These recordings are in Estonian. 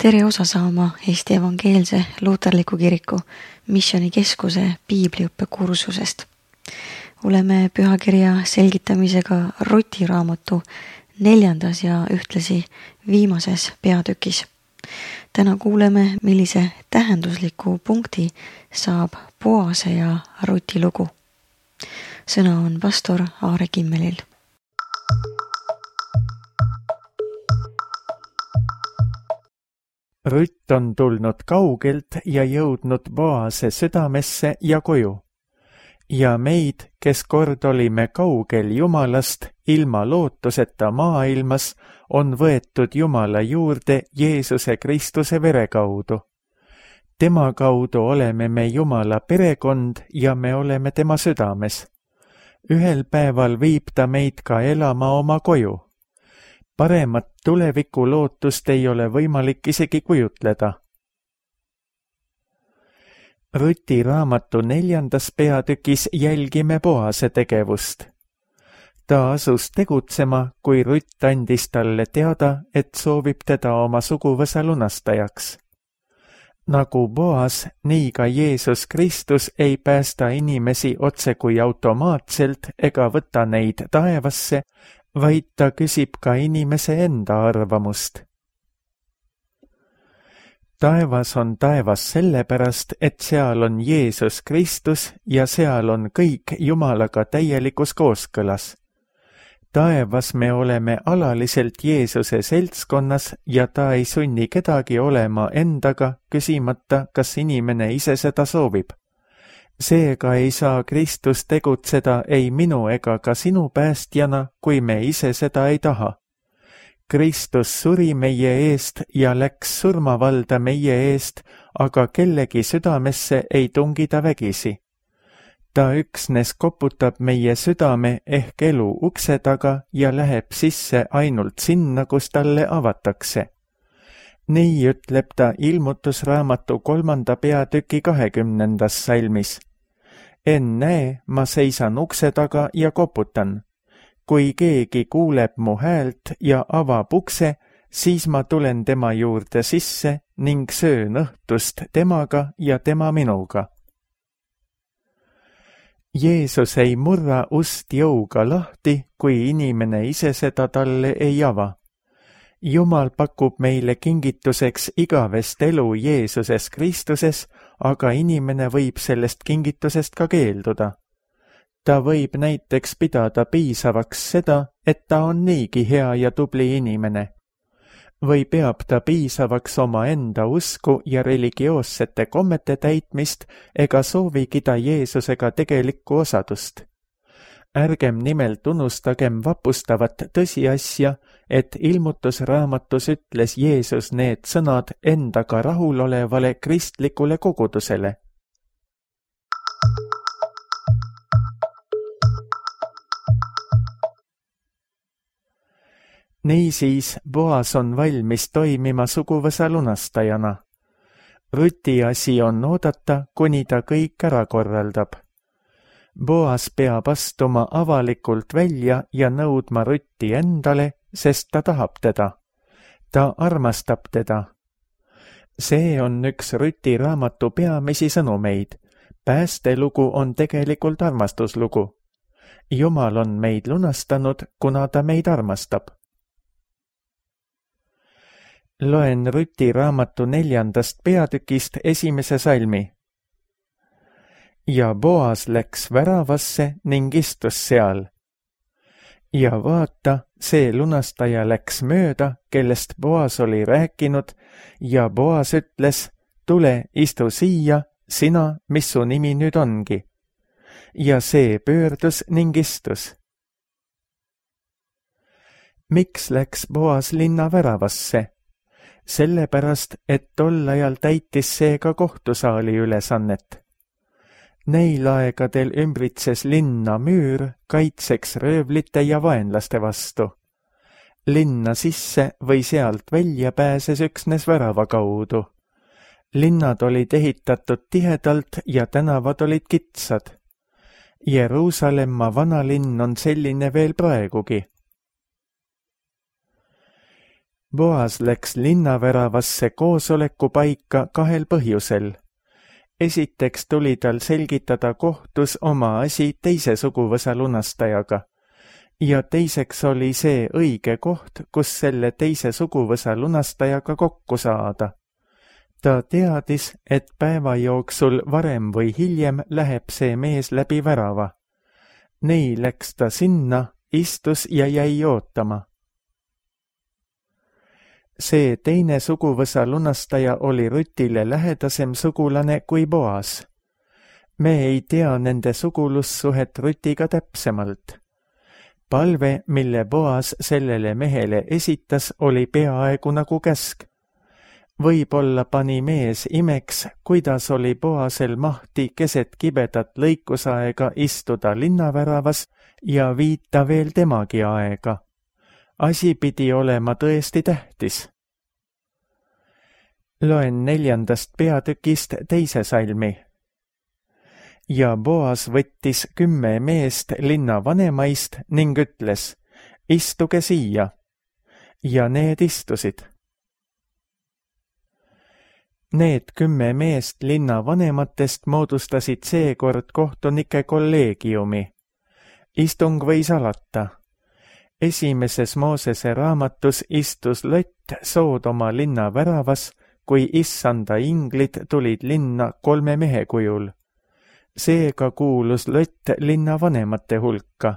Tere osa saama Eesti Evangeelse Luuterliku Kiriku Missioonikeskuse piibliõppekursusest. Oleme pühakirja selgitamisega Ruti raamatu 4. ja ühtlasi viimases peatükis. Täna kuuleme, millise tähendusliku punkti saab Boase ja Ruti lugu. Sõna on pastor Aare Kimmelil. Rutt on tulnud kaugelt ja jõudnud Boase südamesse ja koju. Ja meid, kes kord olime kaugel Jumalast, ilma lootuseta maailmas, on võetud Jumala juurde Jeesuse Kristuse vere kaudu. Tema kaudu oleme me Jumala perekond ja me oleme tema südames. Ühel päeval viib ta meid ka elama oma koju. Paremat tuleviku lootust ei ole võimalik isegi kujutleda. Ruti raamatu 4. peatükis jälgime Boase tegevust. Ta asus tegutsema, kui Rutt andis talle teada, et soovib teda oma suguvõsa lunastajaks. Nagu Boas, nii ka Jeesus Kristus ei päästa inimesi otse kui automaatselt ega võta neid taevasse, vaid ta küsib ka inimese enda arvamust. Taevas on taevas sellepärast, et seal on Jeesus Kristus ja seal on kõik Jumalaga täielikus kooskõlas. Taevas me oleme alaliselt Jeesuse seltskonnas ja ta ei sunni kedagi olema endaga, küsimata, kas inimene ise seda soovib. Seega ei saa Kristus tegutseda ei minu ega ka sinu päästjana, kui me ise seda ei taha. Kristus suri meie eest ja läks surmavalda meie eest, aga kellegi südamesse ei tungi ta vägisi. Ta üksnes koputab meie südame ehk elu ukse taga ja läheb sisse ainult sinna, kus talle avatakse. Nii ütleb ta Ilmutusraamatu 3. peatüki 20. salmis. Ennäe, ma seisan ukse taga ja koputan. Kui keegi kuuleb mu häält ja avab ukse, siis ma tulen tema juurde sisse ning söön õhtust temaga ja tema minuga. Jeesus ei murra ust jõuga lahti, kui inimene ise seda talle ei ava. Jumal pakub meile kingituseks igavest elu Jeesuses Kristuses, aga inimene võib sellest kingitusest ka keelduda. Ta võib näiteks pidada piisavaks seda, et ta on niigi hea ja tubli inimene. Või peab ta piisavaks oma enda usku ja religioossete kommete täitmist ega soovigi ta Jeesusega tegelikku osadust. Ärgem nimelt unustagem vapustavat tõsiasja, et Ilmutusraamatus ütles Jeesus need sõnad endaga rahulolevale kristlikule kogudusele. Niisiis, Boas on valmis toimima suguvõsa lunastajana. Ruti asi on oodata, kuni ta kõik ära korraldab. Boas peab astuma avalikult välja ja nõudma Rutti endale, sest ta tahab teda. Ta armastab teda. See on üks Ruti raamatu peamisi sõnumeid. Päästelugu on tegelikult armastuslugu. Jumal on meid lunastanud, kuna ta meid armastab. Loen Ruti raamatu 4. peatükist 1. salmi. Ja Boas läks väravasse ning istus seal. Ja vaata, see lunastaja läks mööda, kellest Boas oli rääkinud, ja Boas ütles, tule, istu siia, sina, mis su nimi nüüd ongi. Ja see pöördus ning istus. Miks läks Boas linna väravasse? Sellepärast, et tol ajal täitis see ka kohtusaali ülesannet. Neil aegadel ümbritses linna müür kaitseks röövlite ja vaenlaste vastu. Linna sisse või sealt välja pääses üksnes värava kaudu. Linnad olid ehitatud tihedalt ja tänavad olid kitsad. Jeruusalemma vanalinn on selline veel praegugi. Boas läks linnaväravasse koosolekupaika 2 põhjusel. Esiteks tuli tal selgitada kohtus oma asi teise suguvõsa lunastajaga ja teiseks oli see õige koht, kus selle teise suguvõsa lunastajaga kokku saada. Ta teadis, et päeva jooksul varem või hiljem läheb see mees läbi värava. Nii läks ta sinna, istus ja jäi ootama. See teine suguvõsa lunastaja oli Rutile lähedasem sugulane kui Boas. Me ei tea nende sugulussuhet Rutiga täpsemalt. Palve, mille Boas sellele mehele esitas, oli peaaegu nagu käsk. Võib-olla pani mees imeks, kuidas oli Boasel mahti keset kibedat lõikusaega istuda linnaväravas ja viita veel temagi aega. Asi pidi olema tõesti tähtis. Loen 4. peatükist 2. salmi. Ja Boas võttis 10 meest linna vanemaist ning ütles, istuge siia. Ja need istusid. Need 10 meest linna vanematest moodustasid seekord kohtunike kolleegiumi. Istung võis alata. Esimeses Moosese raamatus istus Lott Soodoma linna väravas, kui issanda inglid tulid linna 3 mehe kujul. Seega kuulus Lott linna vanemate hulka.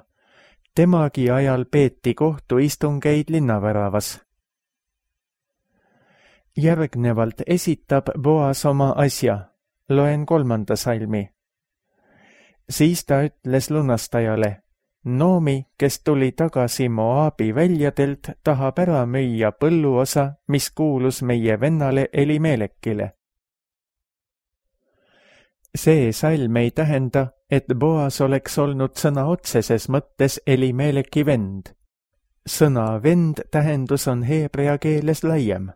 Temagi ajal peeti kohtuistungeid linnaväravas. Järgnevalt esitab Boas oma asja. Loen 3. salmi. Siis ta ütles lunastajale, Noomi, kes tuli tagasi Moabi väljadelt, tahab ära müüa põlluosa, mis kuulus meie vennale Elimelekile. See salm ei tähenda, et Boas oleks olnud sõna otseses mõttes Elimeleki vend. Sõna vend tähendus on heebrea keeles laiem.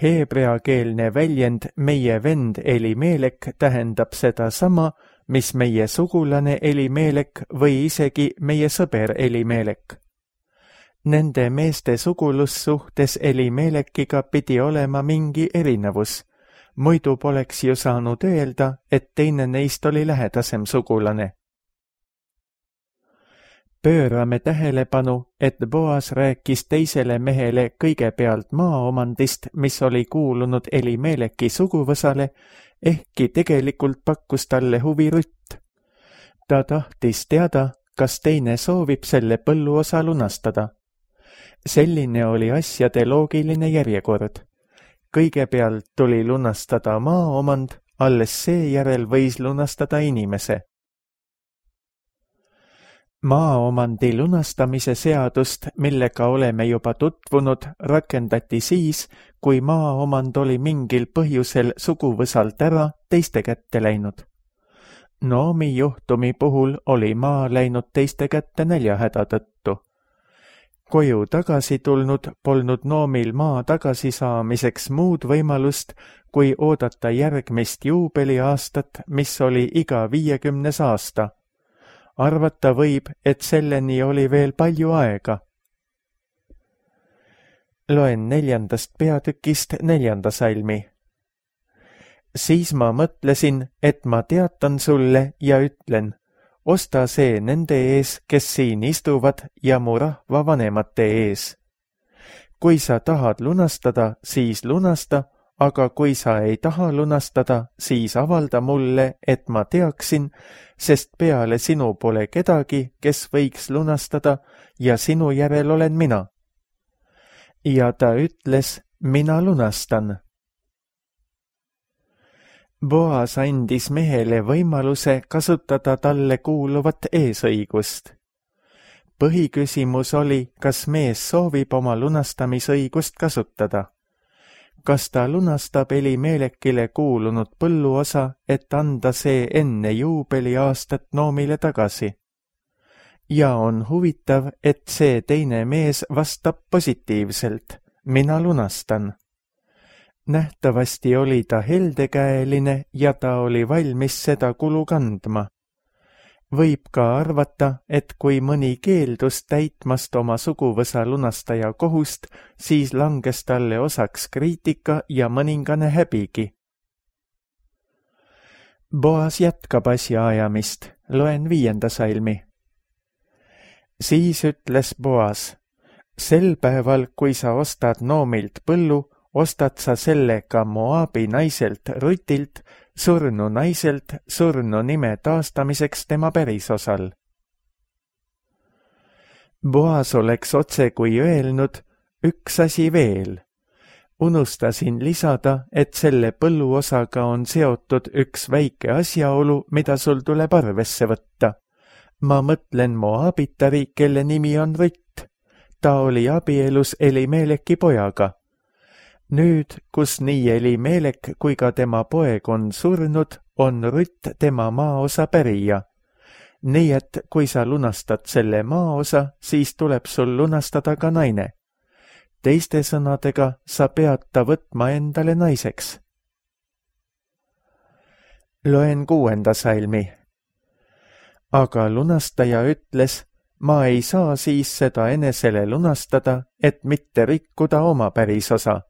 Heebreakeelne väljend meie vend Elimelek tähendab seda sama, mis meie sugulane Elimelek või isegi meie sõber Elimelek. Nende meeste sugulussuhtes Elimelekiga pidi olema mingi erinevus, muidu poleks ju saanud öelda, et teine neist oli lähedasem sugulane. Pöörame tähelepanu, et Boas rääkis teisele mehele kõigepealt maaomandist, mis oli kuulunud Elimeleki suguvõsale, ehkki tegelikult pakkus talle huvi Rutt. Ta tahtis teada, kas teine soovib selle põlluosa lunastada. Selline oli asjade loogiline järjekord. Kõigepealt tuli lunastada maaomand, alles seejärel võis lunastada inimese. Maaomandi lunastamise seadust, millega oleme juba tutvunud, rakendati siis, kui maaomand oli mingil põhjusel suguvõsalt ära teiste kätte läinud. Noomi juhtumi puhul oli maa läinud teiste kätte näljahäda tõttu. Koju tagasi tulnud polnud Noomil maa tagasisaamiseks muud võimalust, kui oodata järgmist juubeliaastat, mis oli iga 50. aasta. Arvata võib, et selleni oli veel palju aega. Loen 4. peatükist 4. salmi. Siis ma mõtlesin, et ma teatan sulle ja ütlen, osta see nende ees, kes siin istuvad ja mu rahva vanemate ees. Kui sa tahad lunastada, siis lunasta, aga kui sa ei taha lunastada, siis avalda mulle, et ma teaksin, sest peale sinu pole kedagi, kes võiks lunastada ja sinu järel olen mina. Ja ta ütles, mina lunastan. Boas andis mehele võimaluse kasutada talle kuuluvat eesõigust. Põhiküsimus oli, kas mees soovib oma lunastamisõigust kasutada. Kas ta lunastab Elimelekile kuulunud põlluosa, et anda see enne juubeliaastat Noomile tagasi? Ja on huvitav, et see teine mees vastab positiivselt, mina lunastan. Nähtavasti oli ta heldekäeline ja ta oli valmis seda kulu kandma. Võib ka arvata, et kui mõni keeldus täitmast oma suguvõsa lunastaja kohust, siis langes talle osaks kriitika ja mõningane häbigi. Boas jätkab asjaajamist, loen 5. salmi. Siis ütles Boas, sel päeval, kui sa ostad Noomilt põllu, ostad sa selle ka Moabi naiselt Rutilt, surnu naiselt surnu nime taastamiseks tema pärisosal. Boas oleks otse kui öelnud, üks asi veel. Unustasin lisada, et selle põlluosaga on seotud üks väike asjaolu, mida sul tuleb arvesse võtta. Ma mõtlen Moabitari, kelle nimi on Rutt. Ta oli abielus Elimeleki pojaga. Nüüd, kus nii Elimelek kui ka tema poeg on surnud, on Rutt tema maaosa pärija. Nii et kui sa lunastad selle maaosa, siis tuleb sul lunastada ka naine. Teiste sõnadega, sa pead ta võtma endale naiseks. Loen 6. salmi. Aga lunastaja ütles, ma ei saa siis seda enesele lunastada, et mitte rikkuda oma pärisosa.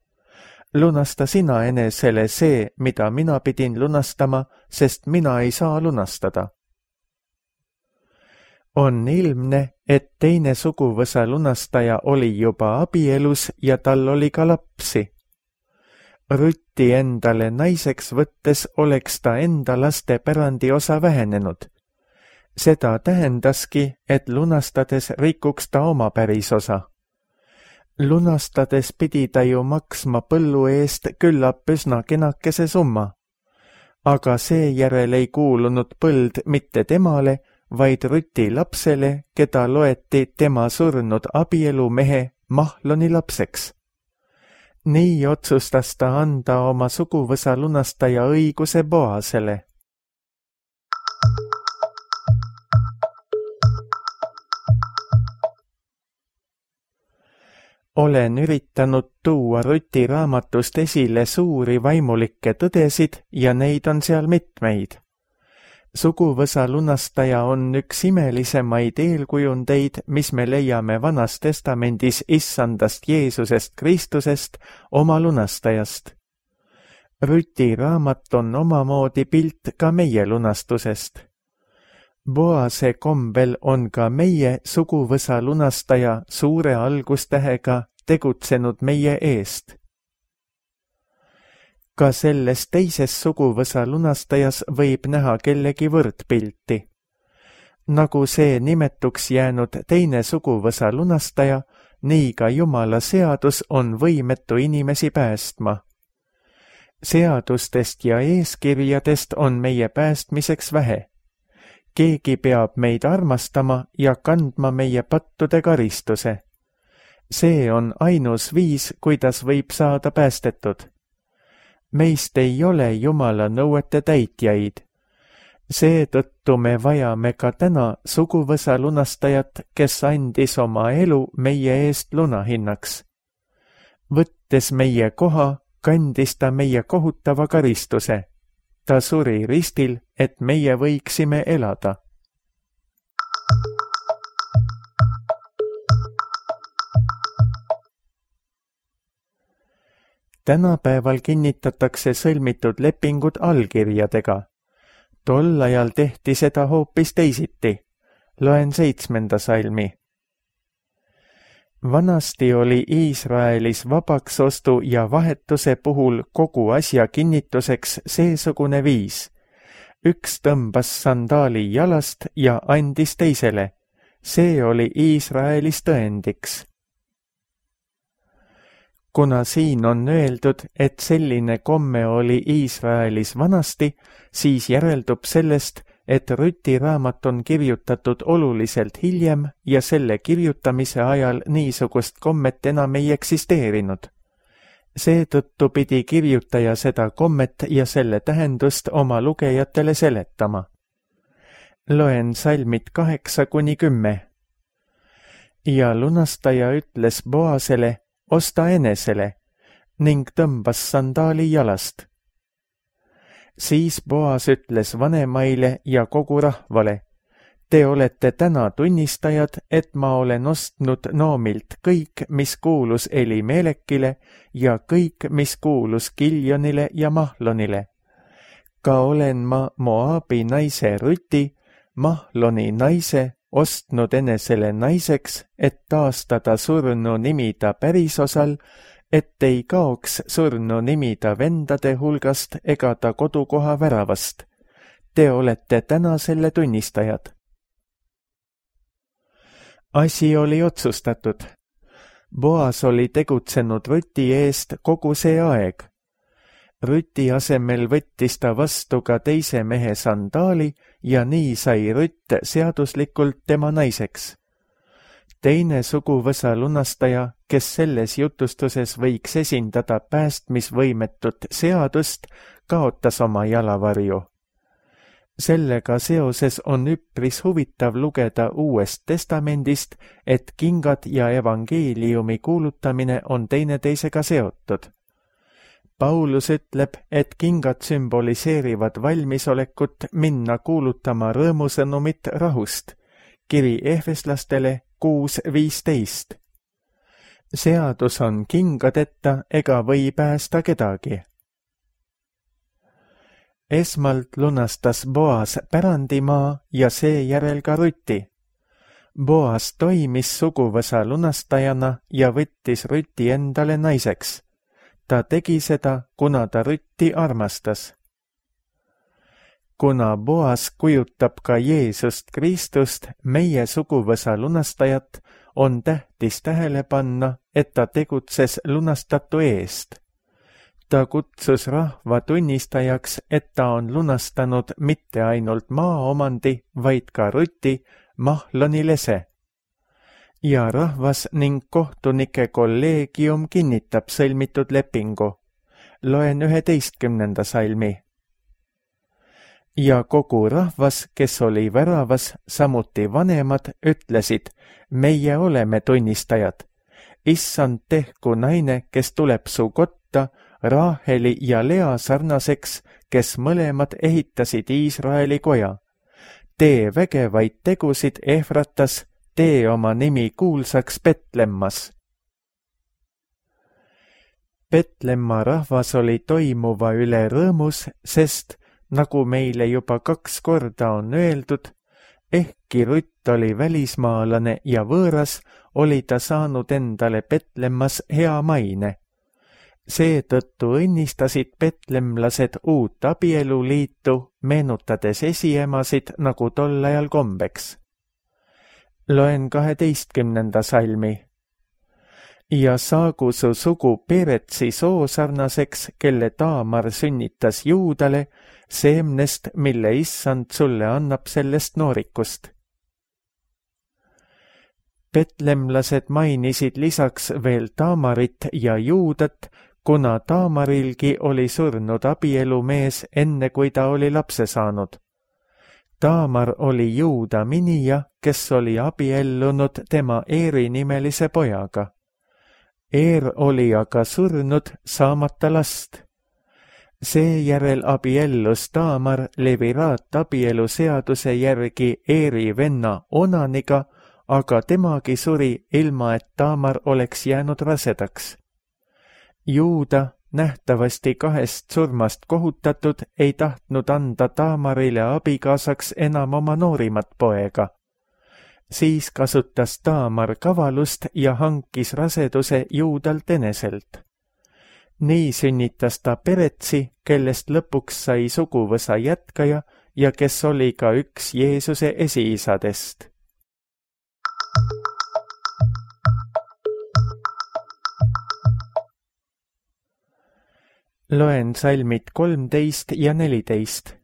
Lunasta sina enesele see, mida mina pidin lunastama, sest mina ei saa lunastada. On ilmne, et teine suguvõsa lunastaja oli juba abielus ja tal oli ka lapsi. Rutti endale naiseks võttes oleks ta enda laste pärandiosa vähenenud. Seda tähendaski, et lunastades rikuks ta oma pärisosa. Lunastades pidi ta ju maksma põllu eest küllap üsna kenakese summa. Aga seejärel ei kuulunud põld mitte temale, vaid Ruti lapsele, keda loeti tema surnud abielumehe Mahloni lapseks. Nii otsustas ta anda oma suguvõsa lunastaja õiguse Boasele. Olen üritanud tuua Ruti raamatust esile suuri vaimulikke tõdesid ja neid on seal mitmeid. Suguvõsa lunastaja on üks imelisemaid eelkujundeid, mis me leiame Vanas Testamendis issandast Jeesusest Kristusest, oma lunastajast. Ruti raamat on omamoodi pilt ka meie lunastusest. Boase kombel on ka meie suguvõsa lunastaja suure algustähega tegutsenud meie eest. Ka selles teises suguvõsa lunastajas võib näha kellegi võrdpilti. Nagu see nimetuks jäänud teine suguvõsa lunastaja, nii ka Jumala seadus on võimetu inimesi päästma. Seadustest ja eeskirjadest on meie päästmiseks vähe. Keegi peab meid armastama ja kandma meie pattude karistuse. See on ainus viis, kuidas võib saada päästetud. Meist ei ole Jumala nõuete täitjaid. Seetõttu me vajame ka täna suguvõsa lunastajat, kes andis oma elu meie eest lunahinnaks. Võttes meie koha, kandis ta meie kohutava karistuse. Ta suri ristil, et meie võiksime elada. Tänapäeval kinnitatakse sõlmitud lepingud allkirjadega. Tol ajal tehti seda hoopis teisiti. Loen 7. salmi. Vanasti oli Iisraelis vabaksostu ja vahetuse puhul kogu asja kinnituseks seesugune viis. Üks tõmbas sandaali jalast ja andis teisele. See oli Iisraelis tõendiks. Kuna siin on öeldud, et selline komme oli Iisraelis vanasti, siis järeldub sellest, et Ruti raamat on kirjutatud oluliselt hiljem ja selle kirjutamise ajal niisugust kommet enam ei eksisteerinud. Seetõttu pidi kirjutaja seda kommet ja selle tähendust oma lugejatele seletama. Loen salmid 8-10. Ja lunastaja ütles Boasele, osta enesele, ning tõmbas sandaali jalast. Siis Boas ütles vanemaile ja kogu rahvale, Te olete täna tunnistajad, et ma olen ostnud Noomilt kõik, mis kuulus Elimelekile ja kõik, mis kuulus Kiljonile ja Mahlonile. Ka olen ma Moabi naise Ruti, Mahloni naise, ostnud enesele naiseks, et taastada surnu nimi ta pärisosal, et ei kaoks surnu nimi ta vendade hulgast ega ta kodukoha väravast. Te olete täna selle tunnistajad. Asi oli otsustatud. Boas oli tegutsenud Ruti eest kogu see aeg. Ruti asemel võttis ta vastu ka teise mehe sandaali ja nii sai Rutt seaduslikult tema naiseks. Teine suguvõsa lunastaja, kes selles jutustuses võiks esindada päästmisvõimetut seadust, kaotas oma jalavarju. Sellega seoses on üpris huvitav lugeda Uuest Testamendist, et kingad ja evangeeliumi kuulutamine on teineteisega seotud. Paulus ütleb, et kingad sümboliseerivad valmisolekut minna kuulutama rõõmusõnumit rahust. Kiri Efeslastele 6:15. Seadus on kingadeta ega või päästa kedagi. Esmalt lunastas Boas pärandimaa ja seejärel ka Ruti. Boas toimis suguvõsa lunastajana ja võttis Ruti endale naiseks. Ta tegi seda, kuna ta Rutti armastas. Kuna Boas kujutab ka Jeesust Kristust, meie suguvõsa lunastajat, on tähtis tähele panna, et ta tegutses lunastatu eest. Ta kutsus rahva tunnistajaks, et ta on lunastanud mitte ainult maaomandi, vaid ka Ruti, Mahloni lese. Ja rahvas ning kohtunike kolleegium kinnitab sõlmitud lepingu. Loen 11. salmi. Ja kogu rahvas, kes oli väravas, samuti vanemad, ütlesid, meie oleme tunnistajad. Issand, tehku naine, kes tuleb su kotta, Raheli ja Lea sarnaseks, kes mõlemad ehitasid Iisraeli koja. Tee vägevaid tegusid Efratas, tee oma nimi kuulsaks Betlemmas. Betlemma rahvas oli toimuva üle rõõmus, sest, nagu meile juba 2 korda on öeldud, ehkki Rutt oli välismaalane ja võõras, oli ta saanud endale Betlemmas hea maine. Seetõttu õnnistasid betlemlased uut abieluliitu, meenutades esiemasid nagu tol ajal kombeks. Loen 12. salmi. Ja saagu su sugu Peretsi soosarnaseks, kelle Taamar sünnitas Juudale, seemnest, mille issand sulle annab sellest noorikust. Betlemlased mainisid lisaks veel Taamarit ja Juudat, kuna Taamarilgi oli surnud abielumees enne, kui ta oli lapse saanud. Taamar oli Juuda minija, kes oli abiellunud tema Eeri nimelise pojaga. Eer oli aga surnud saamata last. Seejärel abiellus Taamar leviraat abielu seaduse järgi Eeri venna Onaniga, aga temagi suri ilma, et Taamar oleks jäänud rasedaks. Juuda, nähtavasti 2 surmast kohutatud, ei tahtnud anda Taamarile abikaasaks enam oma noorimat poega. Siis kasutas Taamar kavalust ja hankis raseduse Juudalt eneselt. Nii sünnitas ta Peretsi, kellest lõpuks sai suguvõsa jätkaja ja kes oli ka üks Jeesuse esiisadest. Loen salmid 13 ja 14.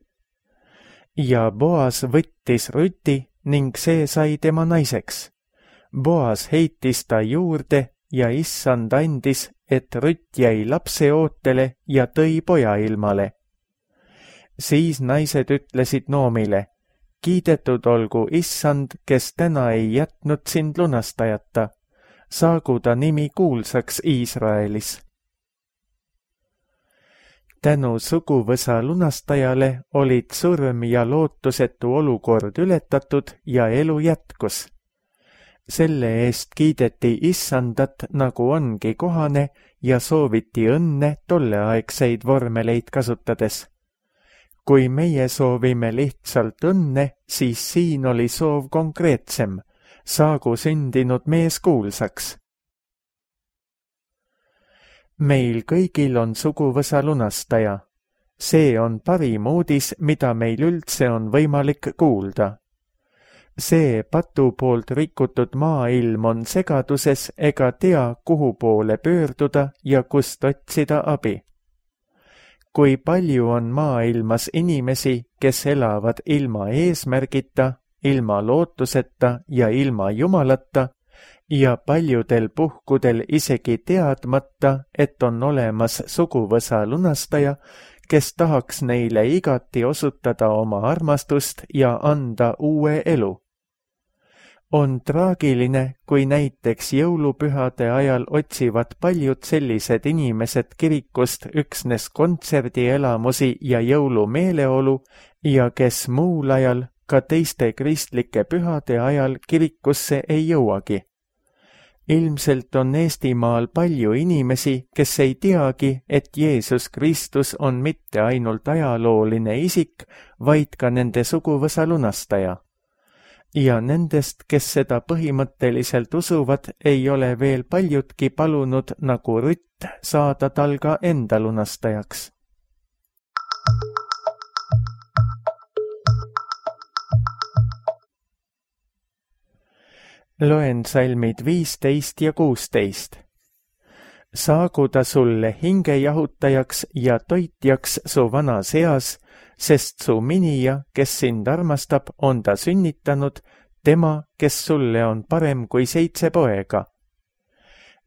Ja Boas võttis Ruti ning see sai tema naiseks. Boas heitis ta juurde ja issand andis, et Rutt jäi lapse ootele ja tõi poja ilmale. Siis naised ütlesid Noomile, kiidetud olgu issand, kes täna ei jätnud sind lunastajata. Saagu ta nimi kuulsaks Iisraelis. Tänu suguvõsa lunastajale olid surm ja lootusetu olukord ületatud ja elu jätkus. Selle eest kiideti Issandat, nagu ongi kohane, ja sooviti õnne tolleaegseid vormeleid kasutades. Kui meie soovime lihtsalt õnne, siis siin oli soov konkreetsem, saagu sündinud mees kuulsaks. Meil kõigil on suguvõsa lunastaja. See on parim uudis, mida meil üldse on võimalik kuulda. See patu poolt rikutud maailm on segaduses ega tea, kuhu poole pöörduda ja kust otsida abi. Kui palju on maailmas inimesi, kes elavad ilma eesmärgita, ilma lootuseta ja ilma Jumalata, ja paljudel puhkudel isegi teadmata, et on olemas suguvõsa lunastaja, kes tahaks neile igati osutada oma armastust ja anda uue elu. On traagiline, kui näiteks jõulupühade ajal otsivad paljud sellised inimesed kirikust üksnes kontserdielamusi ja jõulumeeleolu ja kes muul ajal, ka teiste kristlike pühade ajal kirikusse ei jõuagi. Ilmselt on Eestimaal palju inimesi, kes ei teagi, et Jeesus Kristus on mitte ainult ajalooline isik, vaid ka nende suguvõsa lunastaja. Ja nendest, kes seda põhimõtteliselt usuvad, ei ole veel paljudki palunud nagu Rutt saada tal ka enda lunastajaks. Loen salmid 15 ja 16. Saagu ta sulle hingejahutajaks ja toitjaks su vanas eas, sest su minija, kes sind armastab, on ta sünnitanud, tema, kes sulle on parem kui 7 poega.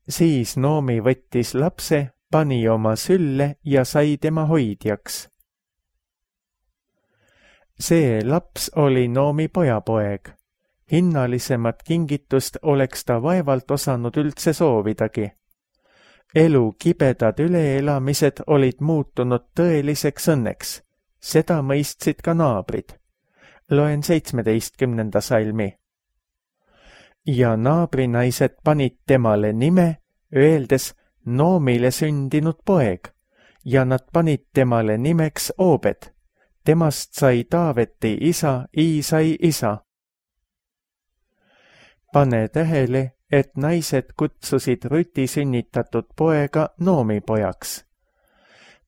Siis Noomi võttis lapse, pani oma sülle ja sai tema hoidjaks. See laps oli Noomi pojapoeg. Hinnalisemat kingitust oleks ta vaevalt osanud üldse soovidagi. Elu kibedad üleelamised olid muutunud tõeliseks õnneks. Seda mõistsid ka naabrid. Loen 17. salmi. Ja naabrinaised panid temale nime, öeldes Noomile sündinud poeg, ja nad panid temale nimeks Obed. Temast sai Taaveti isa, Iisai isa. Pane tähele, et naised kutsusid Ruti sünnitatud poega Noomi pojaks.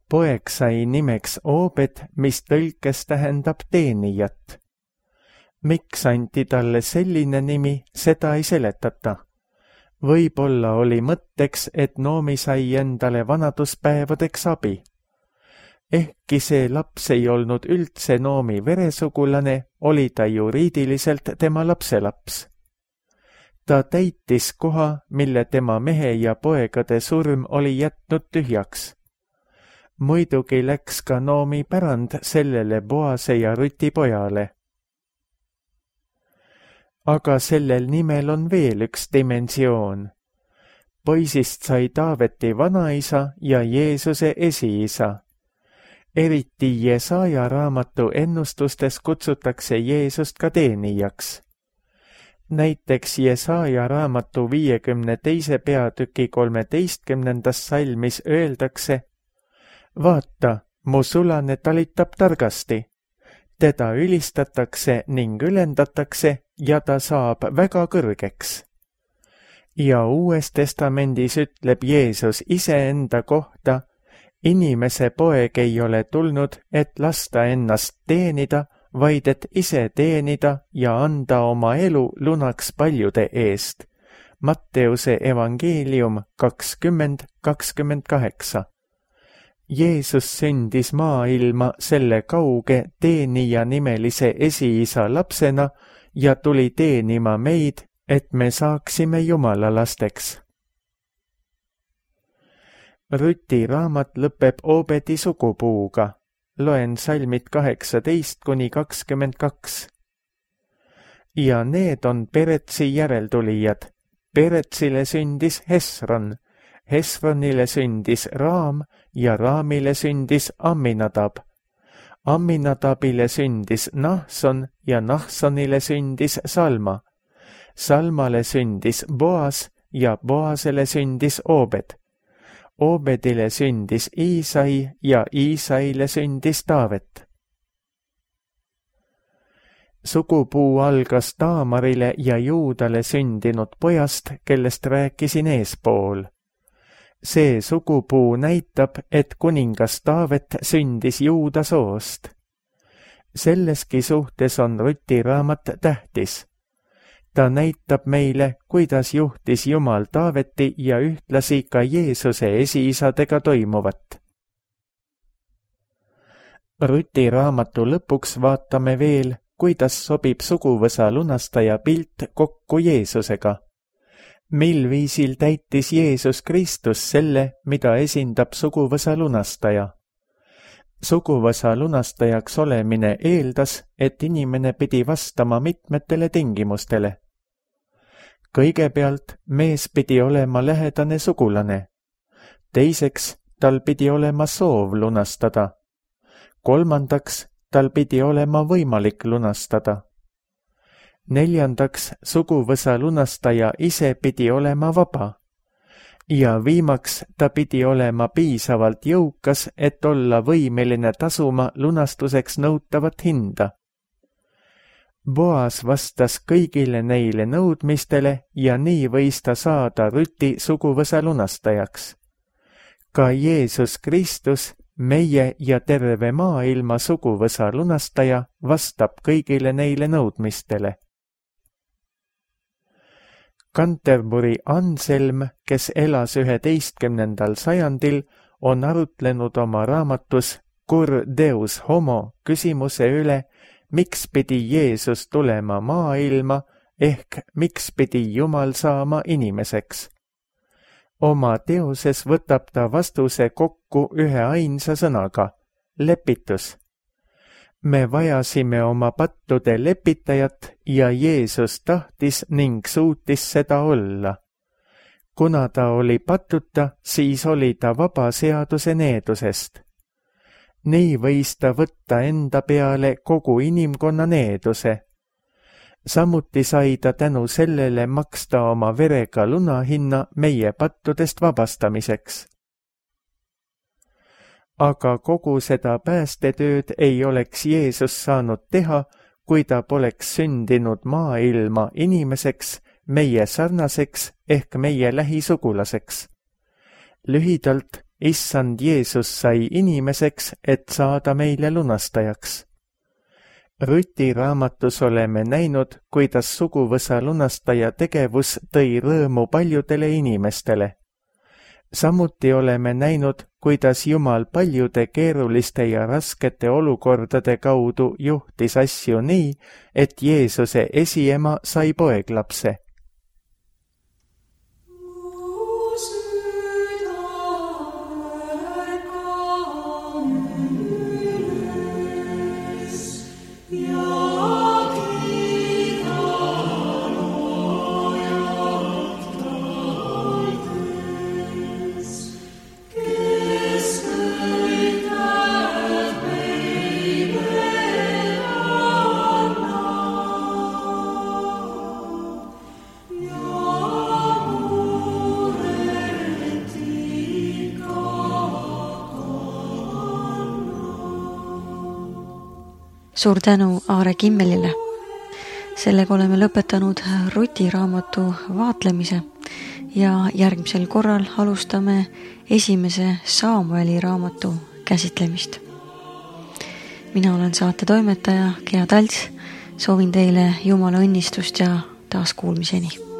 Poeg sai nimeks Obed, mis tõlkes tähendab teenijat. Miks anti talle selline nimi, seda ei seletata. Võib-olla oli mõtteks, et Noomi sai endale vanaduspäevadeks abi. Ehkki see laps ei olnud üldse Noomi veresugulane, oli ta juriidiliselt tema lapselaps. Ta täitis koha, mille tema mehe ja poegade surm oli jätnud tühjaks. Muidugi läks ka Noomi pärand sellele Boase ja Ruti pojale. Aga sellel nimel on veel üks dimensioon. Poisist sai Taaveti vanaisa ja Jeesuse esiisa. Eriti Jesaja raamatu ennustustes kutsutakse Jeesust ka teenijaks. Näiteks Jesaja raamatu 52. peatüki 13. salmis öeldakse: Vaata, mu sulane talitab targasti. Teda ülistatakse ning ülendatakse ja ta saab väga kõrgeks. Ja Uues Testamendis ütleb Jeesus iseenda kohta: Inimese poeg ei ole tulnud, et lasta ennast teenida, vaid et ise teenida ja anda oma elu lunaks paljude eest. Matteuse evangeelium 20:28. Jeesus sündis maailma selle kauge teenija nimelise esiisa lapsena ja tuli teenima meid, et me saaksime Jumala lasteks. Ruti raamat lõpeb Obedi sugupuuga. Loen salmid 18-22. Ja need on Peretsi järeltulijad. Peretsile sündis Hesron, Hesronile sündis Raam ja Raamile sündis Amminadab. Amminadabile sündis Nahson ja Nahsonile sündis Salma. Salmale sündis Boas ja Boasele sündis Obed. Obedile sündis Iisai ja Iisaile sündis Taavet. Sugupuu algas Taamarile ja Juudale sündinud pojast, kellest rääkisin eespool. See sugupuu näitab, et kuningas Taavet sündis Juuda soost. Selleski suhtes on Ruti raamat tähtis. Ta näitab meile, kuidas juhtis Jumal Taaveti ja ühtlasi ka Jeesuse esiisadega toimuvat. Ruti raamatu lõpuks vaatame veel, kuidas sobib suguvõsa lunastaja pilt kokku Jeesusega. Mil viisil täitis Jeesus Kristus selle, mida esindab suguvõsa lunastaja? Suguvõsa lunastajaks olemine eeldas, et inimene pidi vastama mitmetele tingimustele. Kõigepealt mees pidi olema lähedane sugulane. Teiseks, tal pidi olema soov lunastada. Kolmandaks, tal pidi olema võimalik lunastada. Neljandaks, suguvõsa lunastaja ise pidi olema vaba. Ja viimaks, ta pidi olema piisavalt jõukas, et olla võimeline tasuma lunastuseks nõutavat hinda. Boas vastas kõigile neile nõudmistele ja nii võis ta saada Ruti suguvõsa lunastajaks. Ka Jeesus Kristus, meie ja terve maailma suguvõsa lunastaja, vastab kõigile neile nõudmistele. Canterbury Anselm, kes elas 11. sajandil, on arutlenud oma raamatus Cur Deus Homo küsimuse üle, miks pidi Jeesus tulema maailma ehk miks pidi Jumal saama inimeseks. Oma teoses võtab ta vastuse kokku ühe ainsa sõnaga, lepitus. Me vajasime oma pattude lepitajat ja Jeesus tahtis ning suutis seda olla. Kuna ta oli patuta, siis oli ta vaba seaduse needusest. Nii võis ta võtta enda peale kogu inimkonna needuse. Samuti sai ta tänu sellele maksta oma verega lunahinna meie pattudest vabastamiseks. Aga kogu seda päästetööd ei oleks Jeesus saanud teha, kui ta poleks sündinud maailma inimeseks, meie sarnaseks ehk meie lähisugulaseks. Lühidalt, Issand Jeesus sai inimeseks, et saada meile lunastajaks. Ruti raamatus oleme näinud, kuidas suguvõsa lunastaja tegevus tõi rõõmu paljudele inimestele. Samuti oleme näinud, kuidas Jumal paljude keeruliste ja raskete olukordade kaudu juhtis asju nii, et Jeesuse esiema sai poeglapse. Suur tänu Aare Kimmelile. Sellega oleme lõpetanud Ruti raamatu vaatlemise ja järgmisel korral alustame esimese Saamueli raamatu käsitlemist. Mina olen saate toimetaja Gea Talts, soovin teile Jumala õnnistust ja taas kuulmiseni.